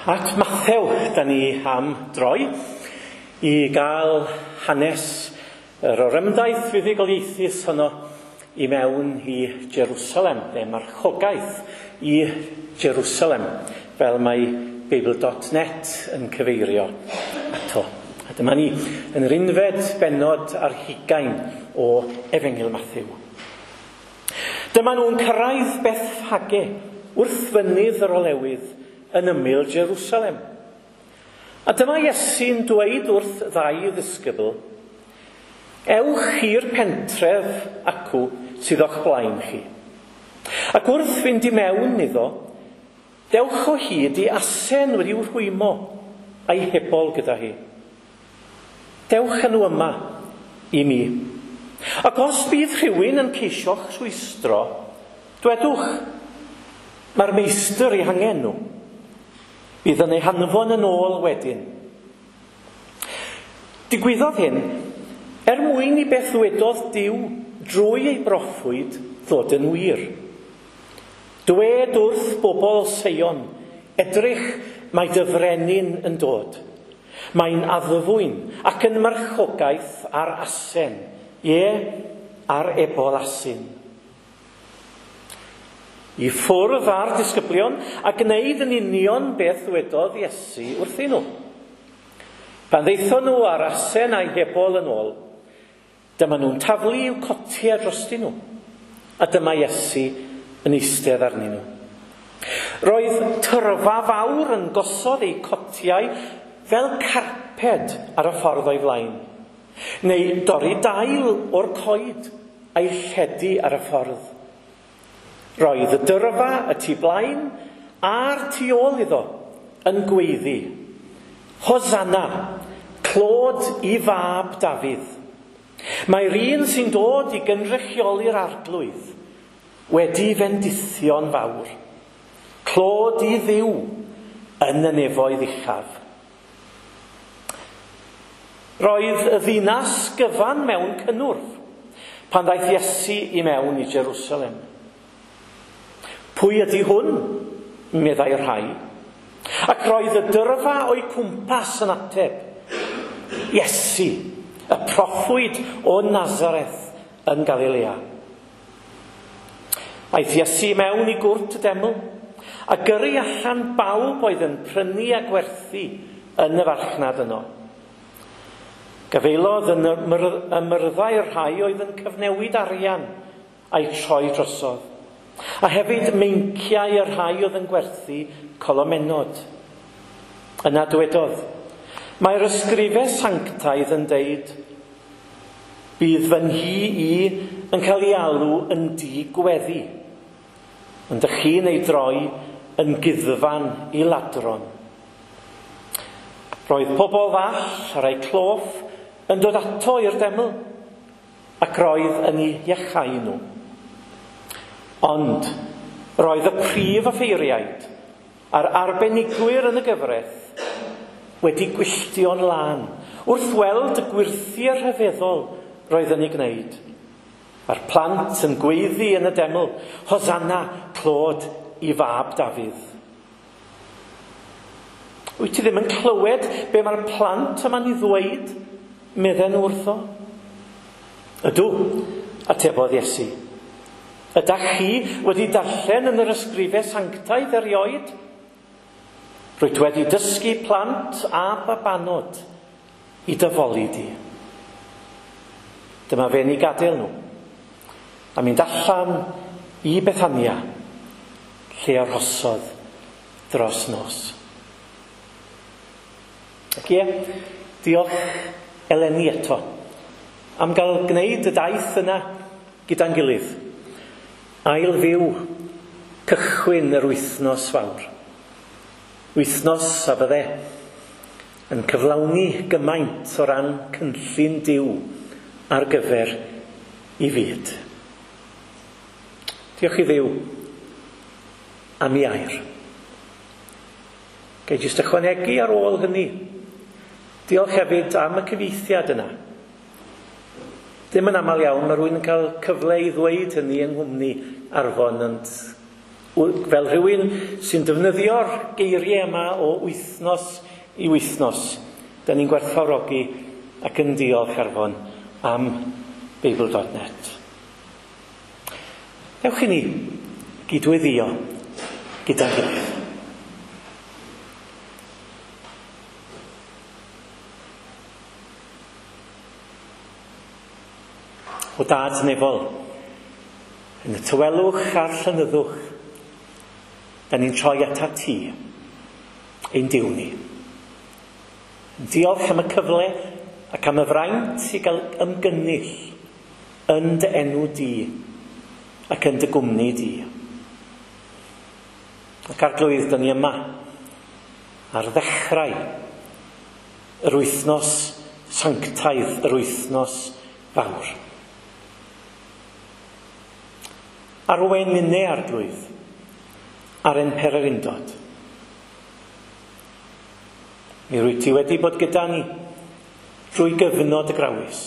At Mathew, da ni am droi i gael hanes yr orymdaith fuddugoliaethus honno i mewn i Jerusalem, neu marchogaeth i Jerusalem, fel mae Beibl.net yn cyfeirio ato. A dyma ni yn yr unfed bennod ar hugain o Efengyl Mathew. Dyma nhw'n cyrraedd Bethfage wrth fynydd yr olewydd yn ymyl Jerusalem. A dyma Iesu'n dweud wrth ddau ddisgybl, ewch i'r pentref acw sydd o'ch blaen chi. Ac wrth fynd i mewn iddo, dewch o hyd i asen wedi'w rhwymo a'i hebol gyda hi. Dewch â nhw yma i mi. Ac os bydd rhywun yn ceisio'ch rhwystro, dwedwch, mae'r meistr eu hangen nhw. Bydd yn eu hanfon yn ôl wedyn. Digwyddodd hyn er mwyn i beth ddwedodd Duw drwy ei broffwyd ddod yn wir. Dwed wrth bobl Seion, edrych, mae dy frenin yn dod. Mae'n addfwyn ac yn marchogaeth ar asen, ie, ar ebol asyn. I ffwrdd â'r disgyblion a gwneud yn union beth ddwedodd Iesu wrthyn nhw. Pan ddaethon nhw â'r asen a'i hebol yn ôl, dyma nhw'n taflu i'w cotiau drostyn nhw, a dyma Iesu yn eistedd arnyn nhw. Roedd tyrfa fawr yn gosod eu cotiau fel carped ar y ffordd o'i flaen, neu dorri dail o'r coed a'i lledu ar y ffordd. Roedd y dyrfa y tu blaen a'r tu ôl iddo yn gweiddi, Hosanna, clod i fab Dafydd. Mae'r un sy'n dod i gynrychioli'r arglwydd wedi fendithio'n fawr. Clod i Dduw yn y nefoedd uchaf. Roedd y ddinas gyfan mewn cynnwrf pan ddaeth Iesu i mewn i Jerusalem. Pwy ydy hwn? Meddai rhai. Ac roedd y dyrfa o'i cwmpas yn ateb. Iesu, y proffwyd o Nazareth yn Galilea. Aeth Iesu mewn i gwrt y deml a gyrru allan bawb oedd yn prynu a gwerthu yn y farchnad yno. Gafaelodd yn y myrddau'r rhai oedd yn cyfnewid arian a'i troi drosodd. A hefyd meinciau y rhai oedd yn gwerthu colomenod. Yna dywedodd, mae'r ysgrifau sanctaidd yn deud, bydd fy nhŷ i yn cael ei alw yn dŷ gweddi, ond ydych chi'n ei droi yn guddfan i ladron. Roedd pobl ddall a rhai cloff yn dod ato i'r deml, ac roedd yn eu iachau nhw. Ond roedd y prif offeiriaid a'r arbenigwyr yn y gyfraith wedi gwylltio'n lân wrth weld y gwyrthiau rhyfeddol roedd yn ei gwneud. A'r plant yn gweiddi yn y deml, Hosanna, clod i fab Dafydd. Wyt ti ddim yn clywed be mae'r plant yma'n ei ddweud, medden nhw wrtho? Ydw, atebodd Iesu. Ydach chi wedi darllen yn yr ysgrifau sanctaidd erioed? Rwyt wedi dysgu plant a babanod i dy foli di. Dyma fe'n ei gadael nhw a mynd allan i Bethania, lle arhosodd dros nos. Ac ie, diolch eleni eto am gael gwneud y daith yna gyda'n gilydd. Ail fyw cychwyn yr wythnos fawr. Wythnos a fydde yn cyflawni gymaint o ran cynllun Duw ar gyfer i fyd. Diolch i Dduw am ei air. Gai jyst ychwanegu ar ôl hynny. Diolch hefyd am y cyfieithiad yna. Ddim yn aml iawn mae rhywun yn cael cyfle i ddweud hynny yng nghwmni Arfon, ond Fel rhywun sy'n defnyddio'r geiriau yma o wythnos i wythnos, da ni'n gwerthfawrogi ac yn diolch Arfon am Beibl.net. Ewch i ni gydweddio gyda'n gilydd. O Dad nefol, yn y tawelwch a'r llenyddwch, da ni'n troi atat ti, ein Duw ni. Diolch am y cyfle ac am y fraint i gael ymgynnull yn dy enw di ac yn dy gwmni di. Ac Arglwydd, da ni yma ar ddechrau yr wythnos sanctaidd, yr wythnos fawr. Arwain ninne, Arglwydd, ar ein pererindod. Mi rwyt ti wedi bod gyda ni drwy gyfnod y grawys,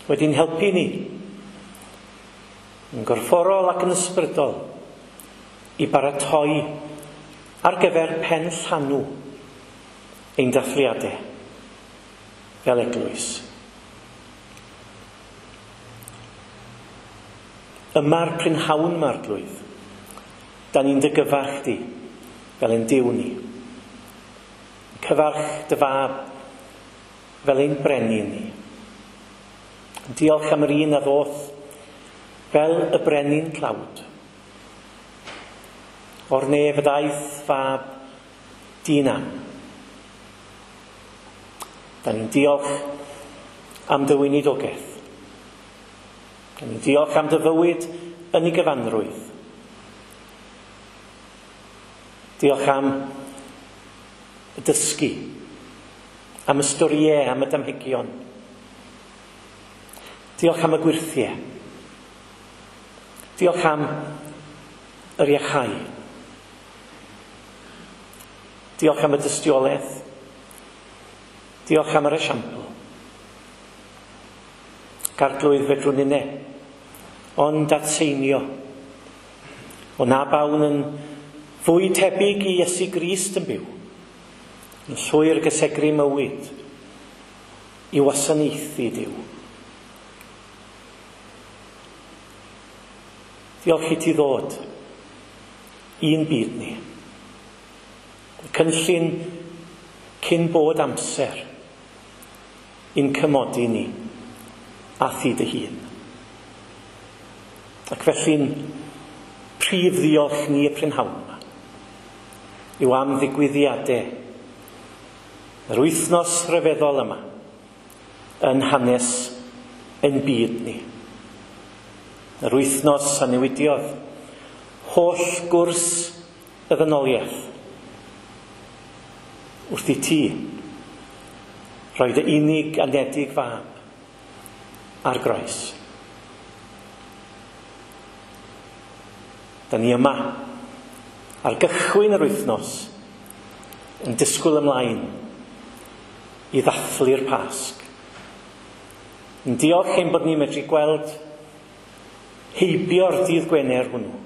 wedi'n helpu ni yn gorfforol ac yn ysbrydol i baratoi ar gyfer pen llanw ein dathliadau fel eglwys. Yma'r prynhawn 'ma, Arglwydd, da ni'n dy gyfarch di fel ein Duw ni. Cyfarch dy fab fel ein brenin ni. Diolch am yr un a ddoth fel y brenin tlawd. O'r nef y ddaeth fab dyn am. Da ni'n diolch am dy weinidogaeth. Da ni'n diolch am dy fywyd yn ei gyfanrwydd. Diolch am y dysgu, am y storïau, am y damhegion. Diolch am y gwyrthiau. Diolch am yr iachau. Diolch am y dystiolaeth. Diolch am yr esiampl. Arglwydd, fedrwn ninne, ond atseinio. O na bawn yn fwy tebyg i Iesu Grist yn byw, yn llwyr gysegru mywyd i wasanaethu Duw. Diolch i ti ddod i'n byd ni. Y cynllun cyn bod amser i'n cymodi ni a thi dy hun. Ac felly'n prif ddiolch ni y prynhawn yma yw am ddigwyddiadau yr wythnos rhyfeddol yma yn hanes ein byd ni. Yr wythnos a newidiodd holl gwrs y ddynoliaeth wrth i ti roi dy unig anedig fab ar groes. Da ni yma ar gychwyn yr wythnos yn disgwyl ymlaen i ddathlu'r Pasg. Yn diolch ein bod ni'n medru gweld heibio'r dydd Gwener hwnnw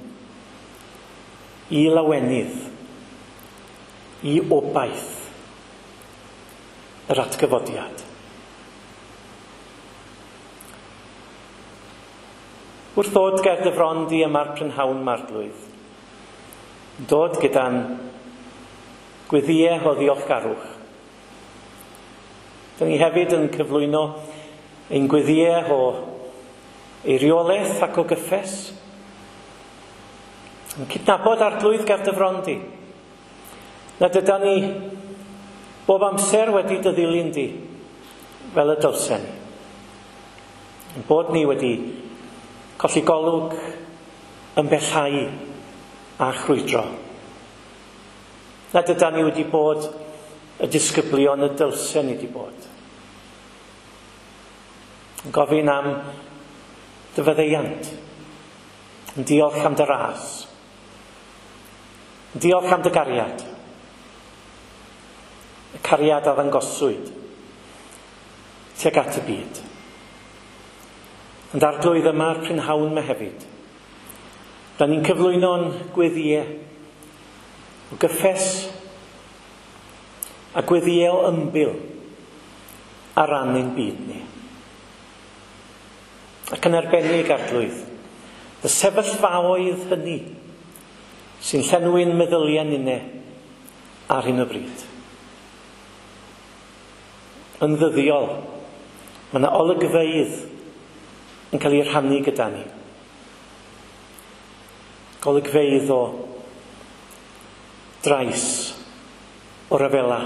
i lawenydd, i obaith yr atgyfodiad. Wrth ddod ger dy fron di yma'r prynhawn 'ma, Arglwydd, dod gyda'n gweddïau o ddiolchgarwch. Da ni hefyd yn cyflwyno ein gweddïau o eiriolaeth ac o gyffes. Yn cydnabod, Arglwydd, ger dy fron di, nad yda ni bob amser wedi dy ddilyn di fel y dylsen ni. Yn bod ni wedi colli golwg, ymbellhau a chrwydro. Nad yda ni wedi bod y disgyblion y dylsen ni wedi bod. Yn gofyn am dy faddeuant. Yn diolch am dy ras. Yn diolch am dy gariad. Y cariad a ddangoswyd tuag at y byd. Ond Arglwydd, yma'r prynhawn yma hefyd, Da ni'n cyflwyno'n gweddïau o gyffes a gweddïau o ymbil ar ran ein byd ni. Ac yn arbennig, Arglwydd, y sefyllfaoedd hynny sy'n llenwi'n meddyliau ninne ar hyn o bryd. Yn ddyddiol, mae yna olygfeydd yn cael eu rhannu gyda ni. Golygfeydd o drais, o ryfela.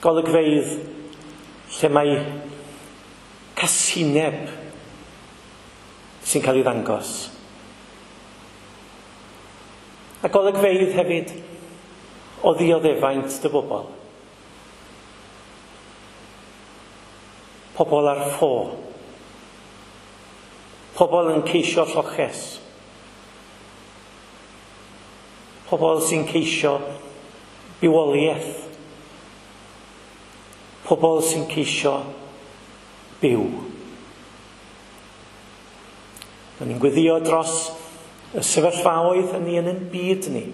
Golygfeydd lle mae casineb sy'n cael ei ddangos. A golygfeydd hefyd o ddioddefaint dy bobl. Pobl ar ffo. Pobl yn ceisio lloches. Pobl sy'n ceisio bywoliaeth. Pobl sy'n ceisio byw. Da ni'n gweddio dros y sefyllfaoedd hynny yn ein byd ni,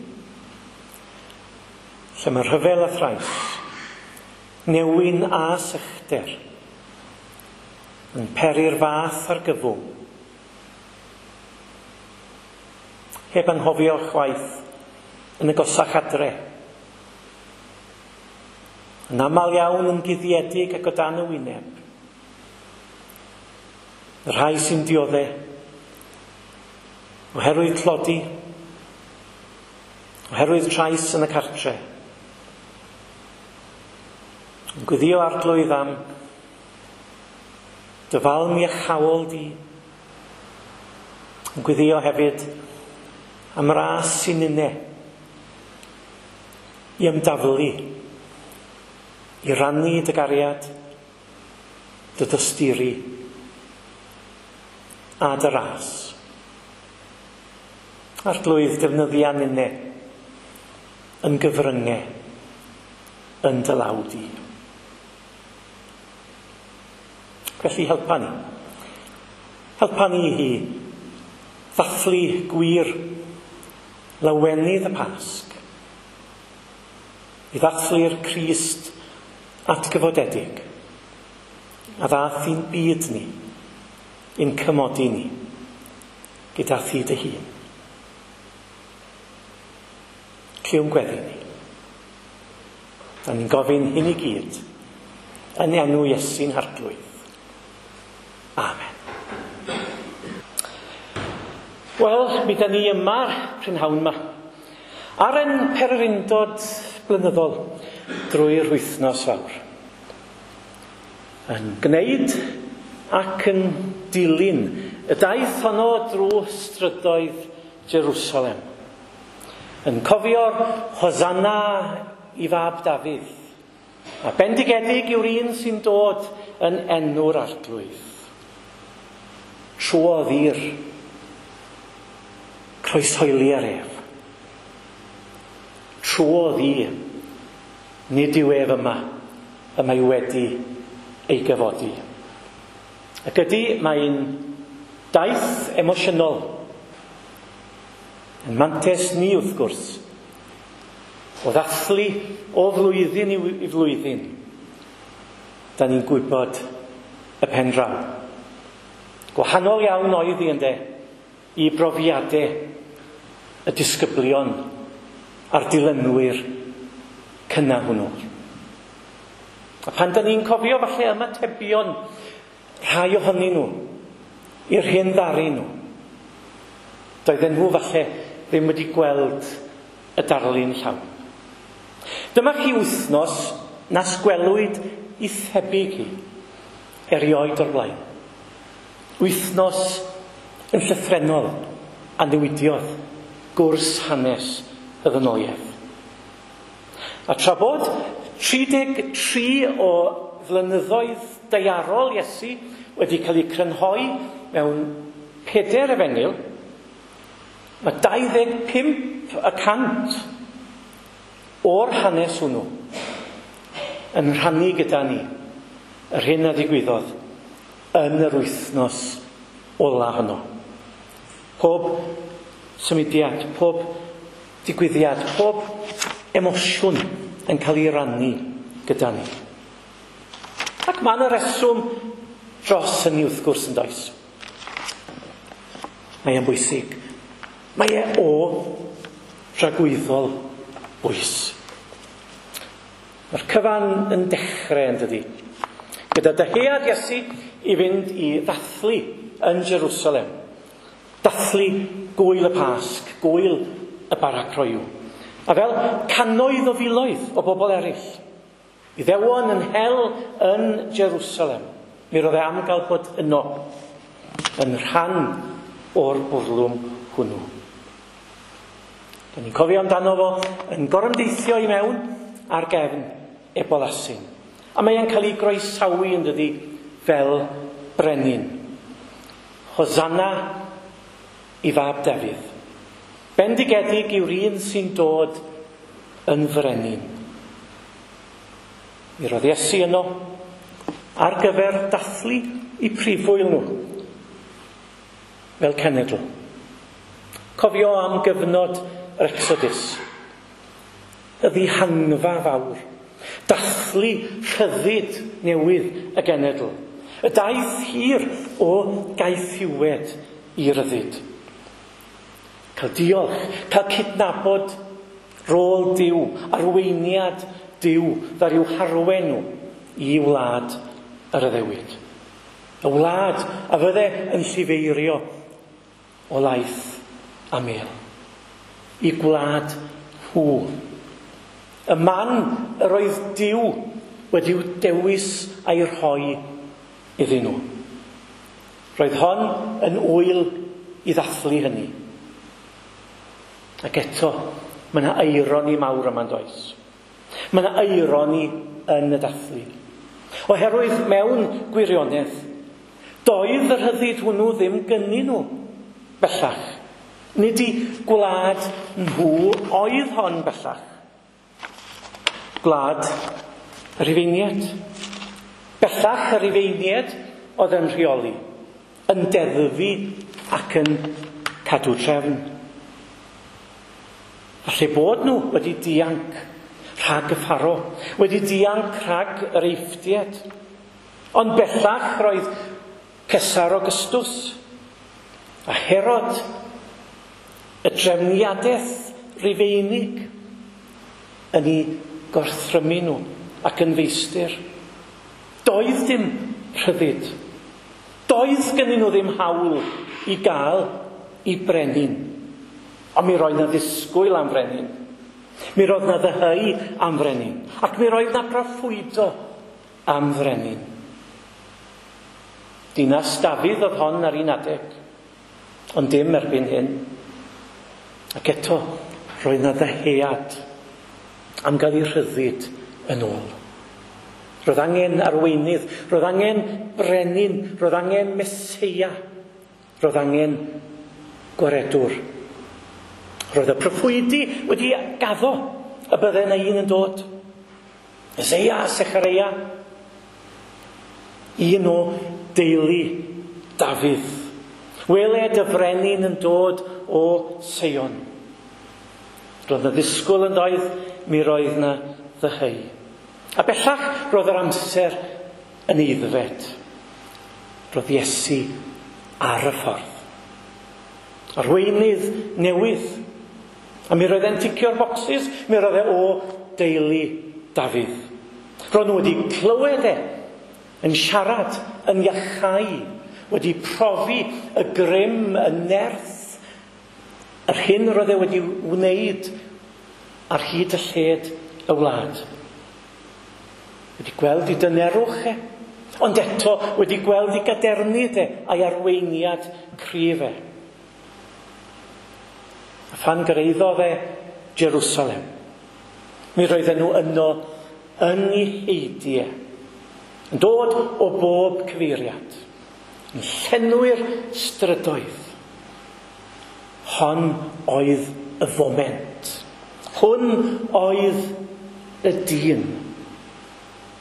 lle mae rhyfel a thrais, newyn a sychder, yn peri'r fath argyfwng. Heb anghofio chwaith yn y gosach adre. Yn aml iawn yn guddiedig ac o dan y wyneb. Y rhai sy'n diodde oherwydd tlodi, oherwydd trais yn y cartre. Yn gweddio, Arglwydd, am dy falm iachaol di. Yn gweddio hefyd am ras sy'n ninne i ymdaflu, i rannu dy gariad, dy dosturi a dy ras. Arglwydd, defnyddia ninne yn gyfryngau yn dy law di. Felly helpa ni. Helpa ni i ddathlu gwir lawenydd y Pasg. I ddathlu'r Crist atgyfodedig a ddath i'n byd ni, i'n cymodi ni, gyda thi dy hun. Clywn gweddi ni. Da ni'n gofyn hyn i gyd yn enw Iesu'n Harglwydd. Amen. Wel, mi da ni yma prynhawn yma ar ein pererindod blynyddol drwy'r wythnos fawr. Yn gwneud ac yn dilyn y daith honno drwy strydoedd Jerusalem. Yn cofio'r Hosanna i fab Dafydd. A bendigedig yw'r un sy'n dod yn enw'r Arglwydd. Trwodd i'r croeshoeli ar ef. Trwodd i, nid yw ef yma, y mae wedi ei gyfodi. Ac ydy, mae'n daith emosiynol. Yn mantes ni, wrth gwrs, o ddathlu o flwyddyn i flwyddyn, da ni'n gwybod y pen draw. Gwahanol iawn oedd hi, ynde, i brofiadau y disgyblion a'r dilynwyr cynnar hwnnw. A pan da ni'n cofio falle ymatebion rhai ohonyn nhw i'r hyn ddaru nhw, doedden nhw falle ddim wedi gweld y darlun llawn. Dyma chi wythnos nas gwelwyd i thebyg hi erioed o'r blaen. Wythnos yn llythrennol a newidiodd gwrs hanes y ddynoliaeth. A tra bod 33 o flynyddoedd daearol Iesu wedi cael eu crynhoi mewn 4 efengyl, mae 25% o'r hanes hwnnw yn rhannu gyda ni yr hyn a ddigwyddodd yn yr wythnos ola honno. Pob symudiad, pob digwyddiad, pob emosiwn yn cael ei rannu gyda ni. Ac mae yna reswm dros hynny wrth gwrs yn does. Mae e'n bwysig. Mae e o dragwyddol bwys. Mae'r cyfan yn dechrau yn dydi. Gyda dyhead Iesu i fynd i ddathlu yn Jerusalem. Dathlu gwyl y Pasg, gwyl y bara croyw. A fel cannoedd o filoedd o bobl eraill, Iddewon yn hel yn Jerusalem. Mi roedd e am gael bod yno, yn rhan o'r bwrlwm hwnnw. Da ni'n cofio amdano fo yn gorymdeithio i mewn ar gefn ebol asyn. A mae e'n cael ei groesawu yn dydi fel brenin. Hosanna i fab Dafydd. Bendigedig yw'r un sy'n dod yn frenin. Mi roedd Iesu yno ar gyfer dathlu i prifwyl nhw fel cenedl. Cofio am gyfnod yr Exodus, y ddihangfa fawr, dathlu rhyddid newydd y genedl, y daith hir o gaethiwed i ryddid. Cael diolch, cael cydnabod rôl Duw, arweiniad Duw, ddaru i'w harwen nhw i wlad yr addewid. Y wlad a fydde yn llifeirio o laeth a mel. I gwlad nhw. Y man yr oedd Duw wedi'w dewis a'i rhoi iddyn nhw. Roedd hon yn ŵyl i ddathlu hynny. Ac eto, mae yna eironi mawr yma'n does. Mae yna eironi yn y dathlu. Oherwydd mewn gwirionedd, doedd y rhyddid hwnnw ddim gynnyn nhw bellach. Nid i gwlad nhw oedd hon bellach. Gwlad y Rhufeiniaid. Bellach y Rhufeiniaid oedd yn rheoli, yn deddfu ac yn cadw trefn. Falle bod nhw wedi dianc rhag y Pharo, wedi dianc rhag yr Eifftiaid. Ond bellach roedd Cesar Augustus a Herod, y drefniadaeth Rufeinig, yn eu gorthrymu nhw ac yn feistr. Doedd dim rhyddid. Doedd gennyn nhw ddim hawl i gael i brenin. Ond mi roedd na ddisgwyl am frenin. Mi roedd na ddyheu am frenin. Ac mi roedd na broffwydo am frenin. Dinas Dafydd oedd hon ar un adeg, ond dim erbyn hyn. Ac eto, roedd na ddyhead am gael ei rhyddid yn ôl. Roedd angen arweinydd, roedd angen brenin, roedd angen Meseia, roedd angen gwaredwr. Roedd y proffwydi wedi gaddo y bydde yna un yn dod. Eseia, Sechareia, un o deulu Dafydd. Wele dy frenin yn dod o Seion. Roedd na ddisgwyl yn doedd, mi roedd na ddyheu. A bellach roedd yr amser yn aeddfed. Roedd Iesu ar y ffordd. Arweinydd newydd. A mi roedd e'n ticio'r bocsys, mi roedd e o deulu Dafydd. Roedd nhw wedi clywed e yn siarad, yn iachau, wedi profi y grym, y nerth, yr hyn roedd e wedi wneud ar hyd y lled y wlad. Wedi gweld ei dynerwch e, ond eto wedi gweld ei gadernid e a'i arweiniad cryf e. A phan gyrhaeddodd e Jerusalem, mi roedden nhw yno yn ei heidiau, yn dod o bob cyfeiriad, yn llenwi'r strydoedd. Hon oedd y foment. Hwn oedd y dyn.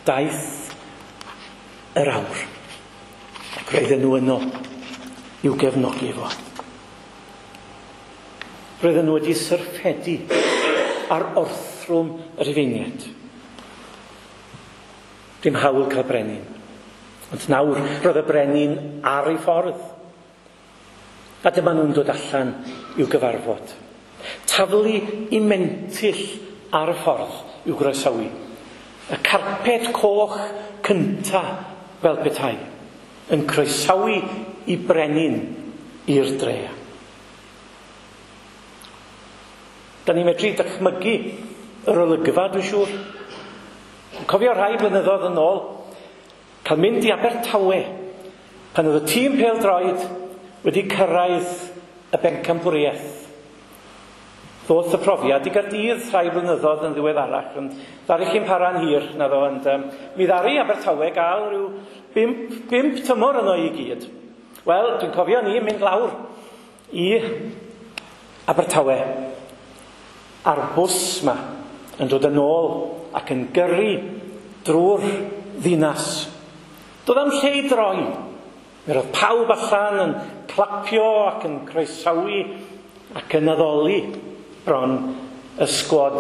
Daeth yr awr. Ac roedden nhw yno i'w gefnogi fo. Roedden nhw wedi syrffedu ar orthrwm y Rhufeiniaid. Dim hawl cael brenin. Ond nawr roedd y brenin ar ei ffordd. A dyma nhw'n dod allan i'w gyfarfod. Taflu i mentyll ar y ffordd i'w groesawu. Y carped coch cynta fel petai yn croesawu i brenin i'r dre. Da ni'n medru dychmygu yr olygfa, dwi'n siŵr. Cofio rhai blynyddoedd yn ôl, cael mynd i Abertawe pan oedd y tîm pêl-droed wedi cyrraedd y bencampwriaeth. Ddoth y profiad i Gaerdydd rhai blynyddoedd yn ddiweddarach, ond ddaru chi'n para'n hir, na ddo, ond mi ddaru Abertawe gael rhyw 5 tymor yno i gyd. Wel, dwi'n cofio ni mynd lawr i Abertawe a'r bws ma yn dod yn ôl ac yn gyrru drwy'r ddinas. Doedd am lle i droi. Mi roedd pawb allan yn clapio ac yn croesawu ac yn addoli bron y sgwad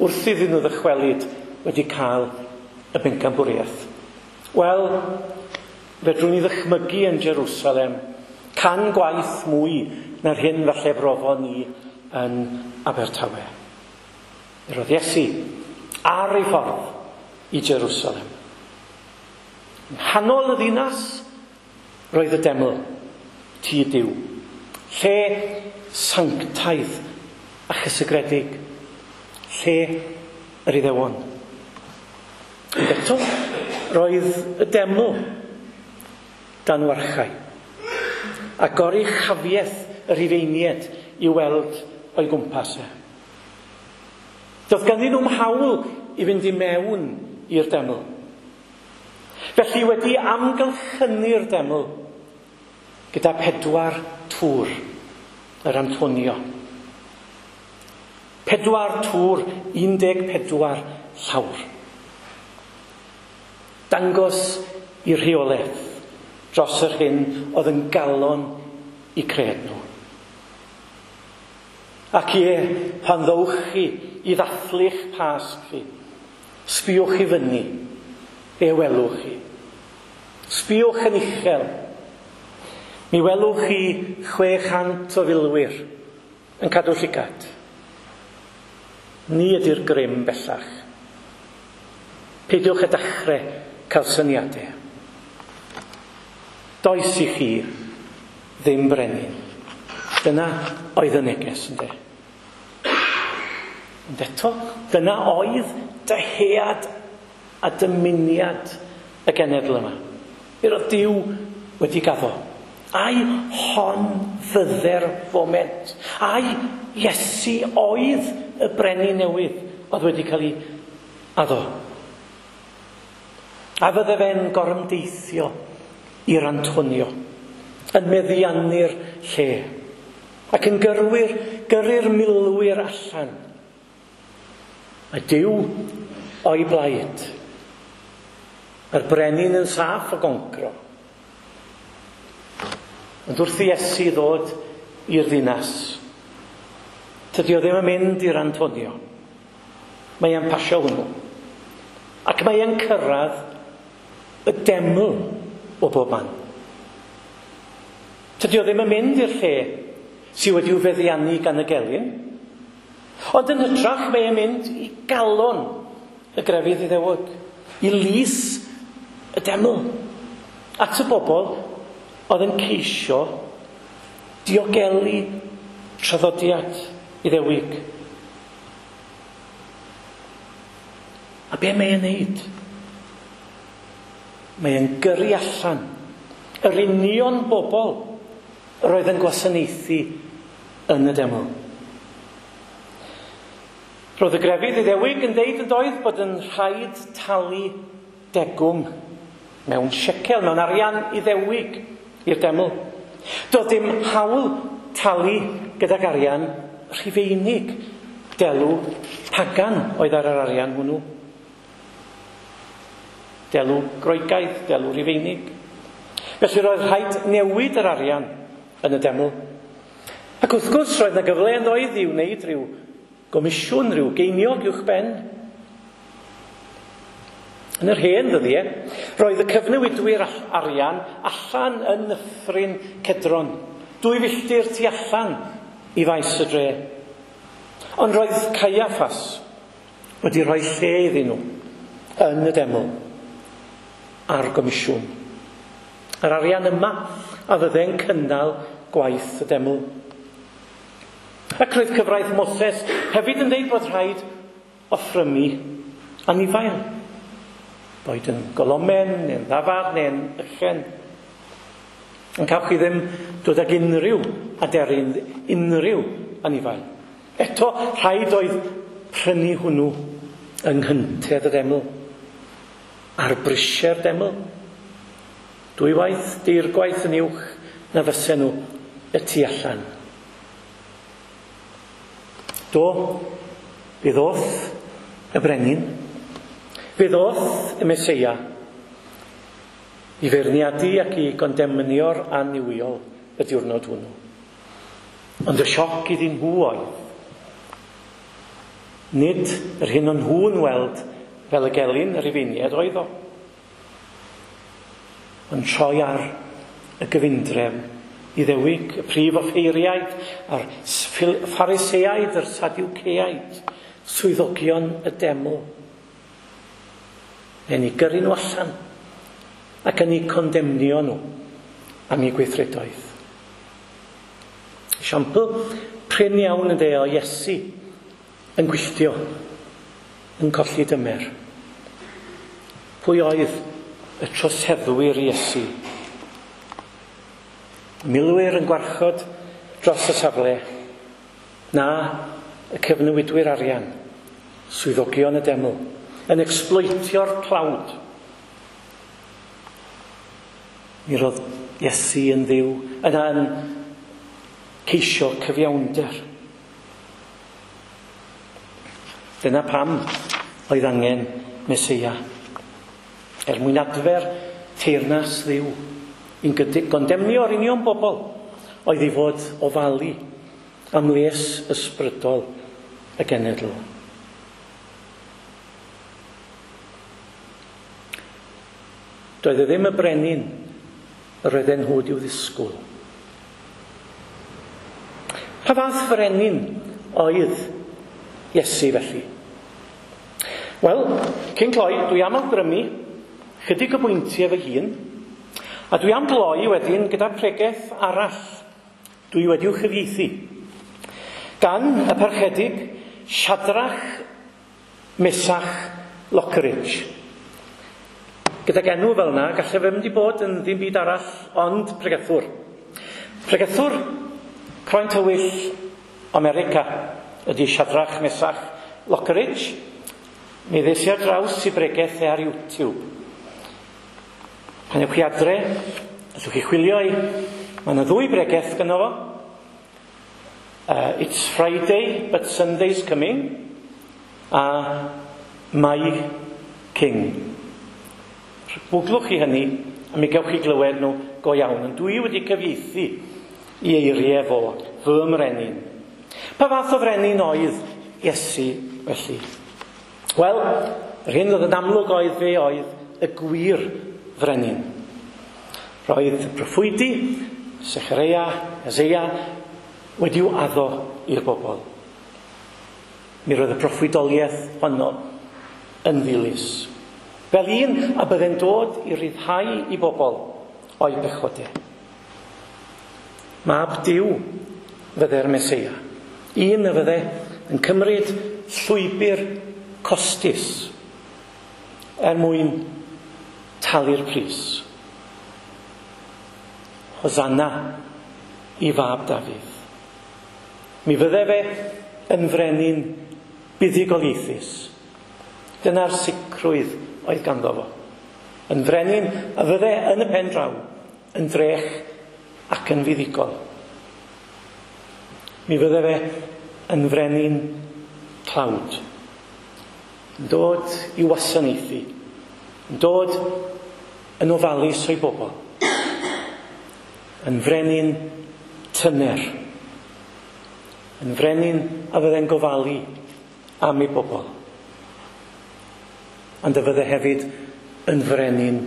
wrth iddyn nhw ddychwelyd wedi cael y bencampwriaeth. Wel, fedrwn ni ddychmygu yn Jerusalem can gwaith mwy na'r hyn falle brofon ni yn Abertawe. Mi roedd Iesu ar ei ffordd i Jerusalem. Yng nghanol y ddinas roedd y deml, tŷ Duw, lle sanctaidd a chysegredig, lle yr Iddewon. Ond eto, roedd y deml dan warchau, a goruchafiaeth y Rhufeiniaid i weld o'i gwmpas e. Doedd ganddyn nhw'm hawl i fynd i mewn i'r deml. Felly wedi amgylchynu'r deml gyda 4 tŵr, yr Antonio. 4 tŵr, 14 llawr. Dangos i rheolaeth dros yr hyn oedd yn galon i cred nhw. Ac ie, pan ddowch chi i ddathlu'ch Pasg chi, sbïwch i fyny, be welwch chi. Sbïwch yn uchel. Mi welwch chi 600 o filwyr yn cadw llygad. Ni ydy'r grym bellach. Peidiwch â dechrau cael syniadau. Does i chi ddim brenin. Dyna oedd y neges, ynde? Ond eto, dyna oedd dyhead a dymuniad y genedl yma. Mi roedd Duw wedi gaddo. Ai hon fydde'r foment. Ai Iesu oedd y brenin newydd oedd wedi cael ei addo. A fydde fe'n gorymdeithio i'r Antonio, yn meddiannu'r lle, ac yn gyrru'r milwyr allan. Mae Duw o'i blaid. Mae'r brenin yn saff o goncro. Ond wrth i Iesu ddod i'r ddinas, tydi o ddim yn mynd i'r Antonio. Mae e'n pasio hwnnw. Ac mae e'n cyrraedd y deml o bob man. Tydi o ddim yn mynd i'r lle sydd wedi'w feddiannu gan y gelyn, ond yn hytrach mae e'n mynd i galon y grefydd Iddewog, i lys y deml, at y bobl oedd yn ceisio diogelu traddodiad Iddewig. A be mae e'n neud? Mae e'n gyrru allan yr union bobl yr oedd yn gwasanaethu yn y deml. Roedd y grefydd Iddewig yn deud yn doedd bod yn rhaid talu degwm mewn shekel, mewn arian Iddewig i'r deml. Doedd dim hawl talu gydag arian Rhufeinig. Delw pagan oedd ar yr arian hwnnw. Delw Groegaidd, delw Rhufeinig. Felly roedd rhaid newid yr arian yn y deml. Ac wrth gwrs roedd yna gyfle yn oedd i wneud rhyw gomisiwn, rhyw geiniog uwch ben. Yn yr hen ddyddiau, roedd y cyfnewidwyr arian allan yn nyffryn Cedron, 2 filltir tu allan i faes y dre. Ond roedd Caiaffas wedi rhoi lle iddyn nhw yn y deml a'r gomisiwn. Yr arian yma a fydde'n cynnal gwaith y deml. Ac roedd cyfraith Moses hefyd yn dweud bod rhaid offrymu anifail. Boed yn golomen, neu'n ddafad, neu'n ychen. Ond cawch chi ddim dod ag unrhyw aderyn, unrhyw anifail. Eto, rhaid oedd prynu hwnnw yng nghyntedd y deml. Ar brisiau'r deml. 2 waith, 3 gwaith yn uwch na fysen nhw y tu allan. Do, fe ddoth y brenin, fe ddoth y Meseia i feirniadu ac i gondemnio'r annuwiol y diwrnod hwnnw. Ond y sioc iddyn nhw oedd, nid yr hyn o'n nhw'n weld fel y gelyn yr Rufeiniaid oedd o, ond troi ar y gyfundrefn Iddewig, y prif offeiriaid, a'r Phariseaid, yr Sadwceaid, swyddogion y deml. Neu'n eu gyrru nhw allan ac yn eu condemnio nhw am eu gweithredoedd. Esiampl prin iawn yn o Iesu yn gwylltio, yn colli dymer. Pwy oedd y troseddwyr Iesu? Milwyr yn gwarchod dros y safle, na y cyfnewidwyr arian, swyddogion y deml, yn exploitio'r tlawd. Mi roedd Iesu yn Dduw yna yn ceisio cyfiawnder. Dyna pam oedd angen Meseia, er mwyn adfer teyrnas Dduw, i'n gondemnio'r union bobl oedd i fod ofalu am les ysbrydol y genedl. Doedd e ddim y brenin yr oedden nhw wedi'w ddisgwyl. Pa fath frenin oedd Iesu felly? Wel, cyn cloi, dwi am awgrymu chydig o bwyntiau fy hun, a dwi am gloi wedyn gyda pregeth arall dwi wedi'w chyfieithu gan y parchedig Shadrach Mesach Lockridge. Gydag enw fel yna, gallai fe mynd i bod yn ddim byd arall ond pregethwr. Pregethwr croen tywyll America ydy Shadrach Mesach Lockridge. Mi ddes i ar draws i bregeth e ar YouTube. Pan ewch chi adre, allwch chi chwilio i. Mae yna 2 bregeth gynno fo. It's Friday, but Sunday's coming. A My King. Gwglwch chi hynny, a mi gewch chi glywed nhw go iawn. Ond dwi wedi cyfieithu i eiriau fo, fy mrenin. Pa fath o frenin oedd Iesu felly? Wel, yr hyn oedd yn amlwg oedd fe oedd y gwir frenin. Roedd proffwydi, Sechareia, Eseia, wedi'w addo i'r bobl. Mi roedd y proffwydoliaeth honno yn ddilys. Fel un a bydde'n dod i ryddhau i bobl o'i bechodau. Mab Duw fydde'r Meseia. Un a fydde yn cymryd llwybr costus er mwyn talu'r pris. Hosanna i fab Dafydd. Mi fydde fe yn frenin buddugoliaethus. Dyna'r sicrwydd oedd ganddo fo. Yn frenin a fydde yn y pen draw, yn drech ac yn fuddugol. Mi fydde fe yn frenin tlawd. Yn dod i wasanaethu. Yn dod yn ofalus o'i bobl. Yn frenin tyner. Yn frenin a fydde'n gofalu am ei bobl. Ond y fydde hefyd yn frenin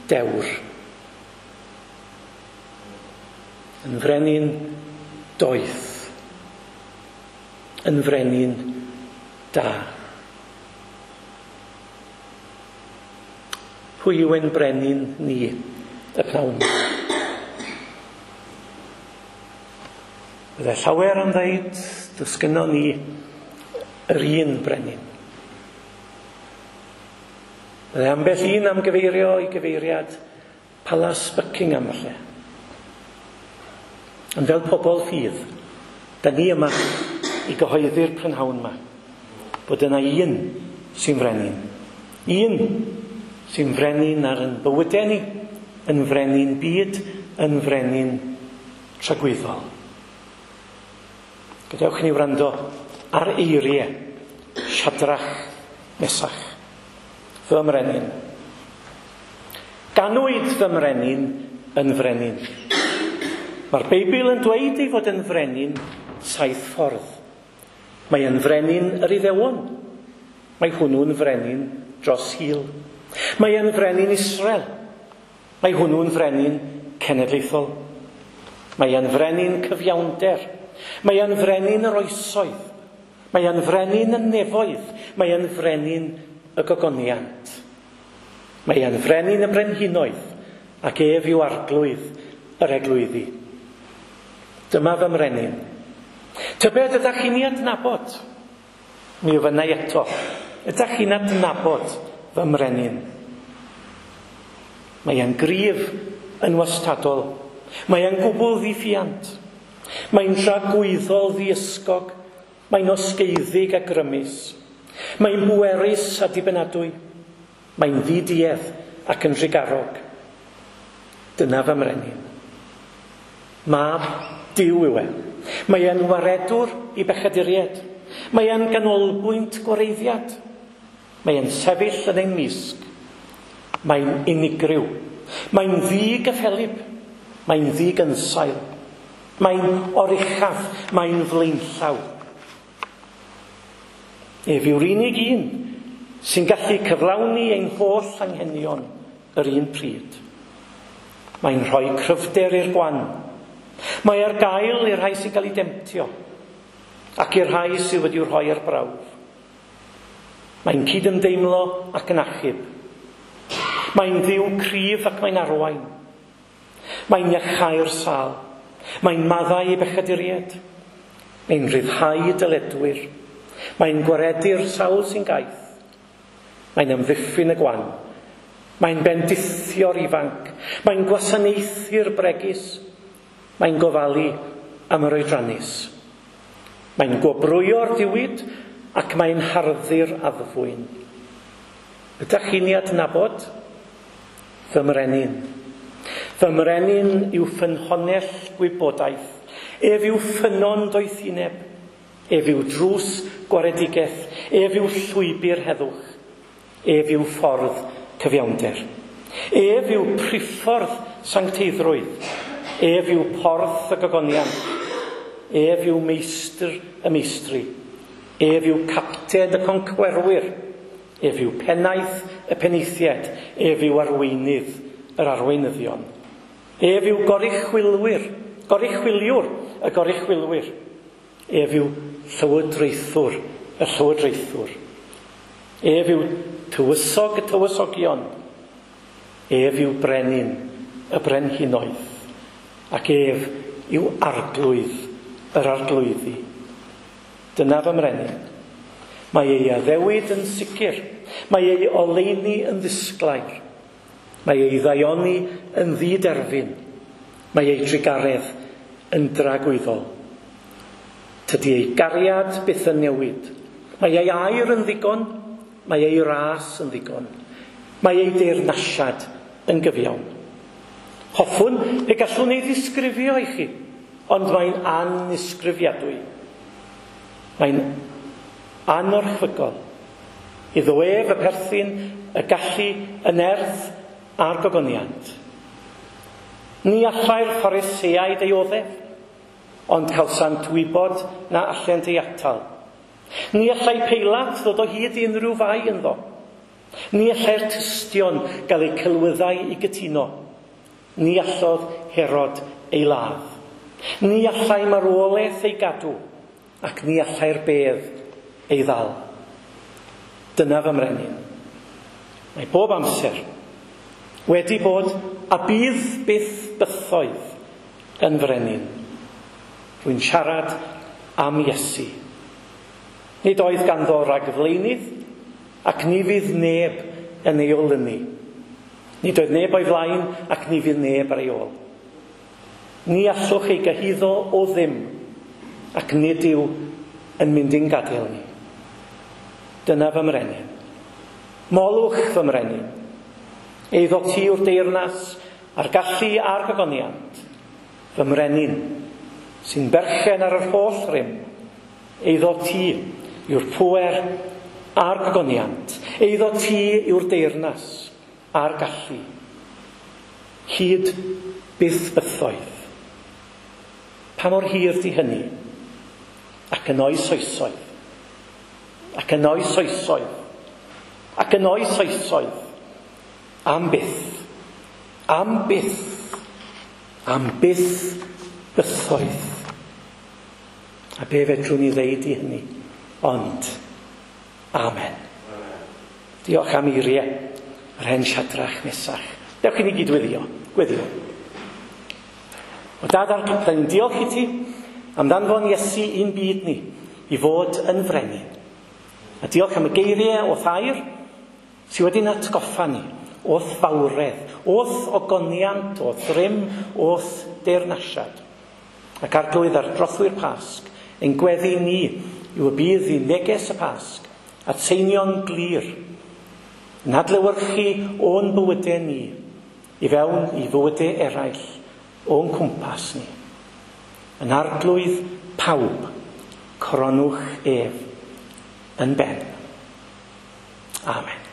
dewr. Yn frenin doeth. Yn frenin da. Pwy yw ein brenin ni y pnawn? Bydde llawer am ddeud, does gynnon ni yr un brenin. Bydde ambell un am gyfeirio i gyfeiriad Palas Buckingham falle. Ond fel pobl ffydd, da ni yma i gyhoeddi'r prynhawn yma bod yna un sy'n frenin. Un sy'n frenin ar yn bywydau ni, yn frenin byd, yn frenin tragwyddol. Gadewch i ni wrando ar eiriau Siadrach Mesach, fy mrenin. Ganwyd fy mrenin yn frenin. Mae'r Beibl yn dweud ei fod yn frenin 7 ffordd. Mae yn frenin yr Iddewon. Mae hwnnw'n frenin dros hil. Mae yn frenin Israel. Mae hwnnw'n frenin cenedlaethol. Mae yn frenin cyfiawnder. Mae yn frenin yr oesoedd. Mae yn frenin y nefoedd. Mae yn frenin y gogoniant. Mae yn frenin y brenhinoedd, ac ef yw arglwydd yr eglwyddi. Dyma fy mrenin. Tybed ydych chi'n ei adnabod? Mi ofynnai eto. Ydych chi'n adnabod fy mrenin? Mae e'n gryf yn wastadol. Mae e'n gwbl ddiffiant. Mae'n dragwyddol ddiysgog. Mae'n osgeiddig a grymus. Mae'n bwerus a dibynadwy. Mae'n ddiduedd ac yn drugarog. Dyna fy mrenin. Mab Duw yw e. Mae e'n waredwr i bechaduriaid. Mae e'n ganolbwynt gwareiddiad. Mae e'n sefyll yn ein mysg. Mae'n unigryw. Mae'n ddigyffelyb. Mae'n ddigynsail. Mae'n oruchaf. Mae'n flaenllaw. Ef yw'r unig un sy'n gallu cyflawni ein holl anghenion yr un pryd. Mae'n rhoi cryfder i'r gwan. Mae ar gael i'r rhai sy'n cael ei demtio ac i'r rhai sydd wedi'w rhoi ar brawf. Mae'n cydymdeimlo ac yn achub. Mae'n ddiw cryf ac mae'n arwain. Mae'n iachau'r sâl. Mae'n maddau i bechaduriaid. Mae'n rhyddhau dyledwyr. Mae'n gwaredu'r sawl sy'n gaeth. Mae'n amddiffyn y gwan. Mae'n bendithio'r ifanc. Mae'n gwasanaethu'r bregus. Mae'n gofalu am yr oedrannus. Mae'n gwobrwyo'r diwyd ac mae'n harddu'r addfwyn. Ydych chi'n ei adnabod? Fy mrenin. Fy mrenin yw ffynhonnell gwybodaeth. Ef yw ffynnon doethineb. Ef yw drws gwaredigaeth. Ef yw llwybr heddwch. Ef yw ffordd cyfiawnder. Ef yw priffordd sancteiddrwydd. Ef yw porth y gogoniant. Ef yw meistr y meistri. Ef yw capten y concwerwyr. Ef yw pennaeth y penaethiaid. Ef yw arweinydd yr arweinyddion. Ef yw goruchwylwyr, goruchwyliwr y goruchwylwyr. Ef yw llywodraethwr y llywodraethwr. Ef yw tywysog y tywysogion. Ef yw brenin y brenhinoedd. Ac ef yw arglwydd yr arglwyddi. Dyna fy mrenin. Mae ei addewid yn sicr. Mae ei oleuni yn ddisglair. Mae ei ddaioni yn ddiderfyn. Mae ei drugaredd yn dragwyddol. Tydi ei gariad byth yn newid. Mae ei air yn ddigon. Mae ei ras yn ddigon. Mae ei deyrnasiad yn gyfiawn. Hoffwn pe gallwn ei ddisgrifio i chi, ond mae'n annisgrifiadwy. Mae'n anorchfygol. Iddo ef y perthyn, y gallu, y nerth a'r gogoniant. Ni allai'r Phariseaid ei oddef. Ond cawsant wybod na allent ei atal. Ni allai Peilat ddod o hyd i unrhyw fai ynddo. Ni allai'r tystion gael eu celwyddau i gytuno. Ni allodd Herod ei ladd. Ni allai marwolaeth ei gadw, ac ni allai'r bedd ei ddal. Dyna fy mrenin. Mae bob amser wedi bod a bydd byth bythoedd yn frenin. Rwy'n siarad am Iesu. Nid oedd ganddo ragflaenydd, ac ni fydd neb yn ei olynu. Nid oedd neb o'i flaen, ac ni fydd neb ar ei ôl. Ni allwch ei gyhuddo o ddim, ac nid yw yn mynd i'n gadael ni. Dyna fy mrenin. Molwch fy mrenin. Eiddo ti yw'r deyrnas a'r gallu a'r gogoniant. Fy mrenin, sy'n berchen ar yr holl rym. Eiddo ti yw'r pŵer a'r gogoniant. Eiddo ti yw'r deyrnas a'r gallu. Hyd byth bythoedd. Pa mor hir di hynny? Ac yn oes oesoedd. Ac yn oes oesoedd. Ac yn oes oesoedd. Am byth. Am byth. Am byth bythoedd. A be fedrwn ni ddeud i hynny? Ond, amen. Diolch am eiriau yr hen Siadrach Mesach. Dewch i ni gyd weddio. Gweddio. O Dad Arglwydd, da ni'n diolch i ti am ddanfon Iesu i'n byd ni i fod yn frenin. A diolch am y geiriau o'th air sydd wedi'n atgoffa ni o'th fawredd, o'th ogoniant, o'th rym, o'th deyrnasiad. Ac Arglwydd, ar drothwy'r Pasg, ein gweddi ni yw y bydd i neges y Pasg atseinio'n glir, yn adlewyrchu o'n bywydau ni i fewn i fywydau eraill o'n cwmpas ni. Yn Arglwydd pawb, coronwch ef yn ben. Amen.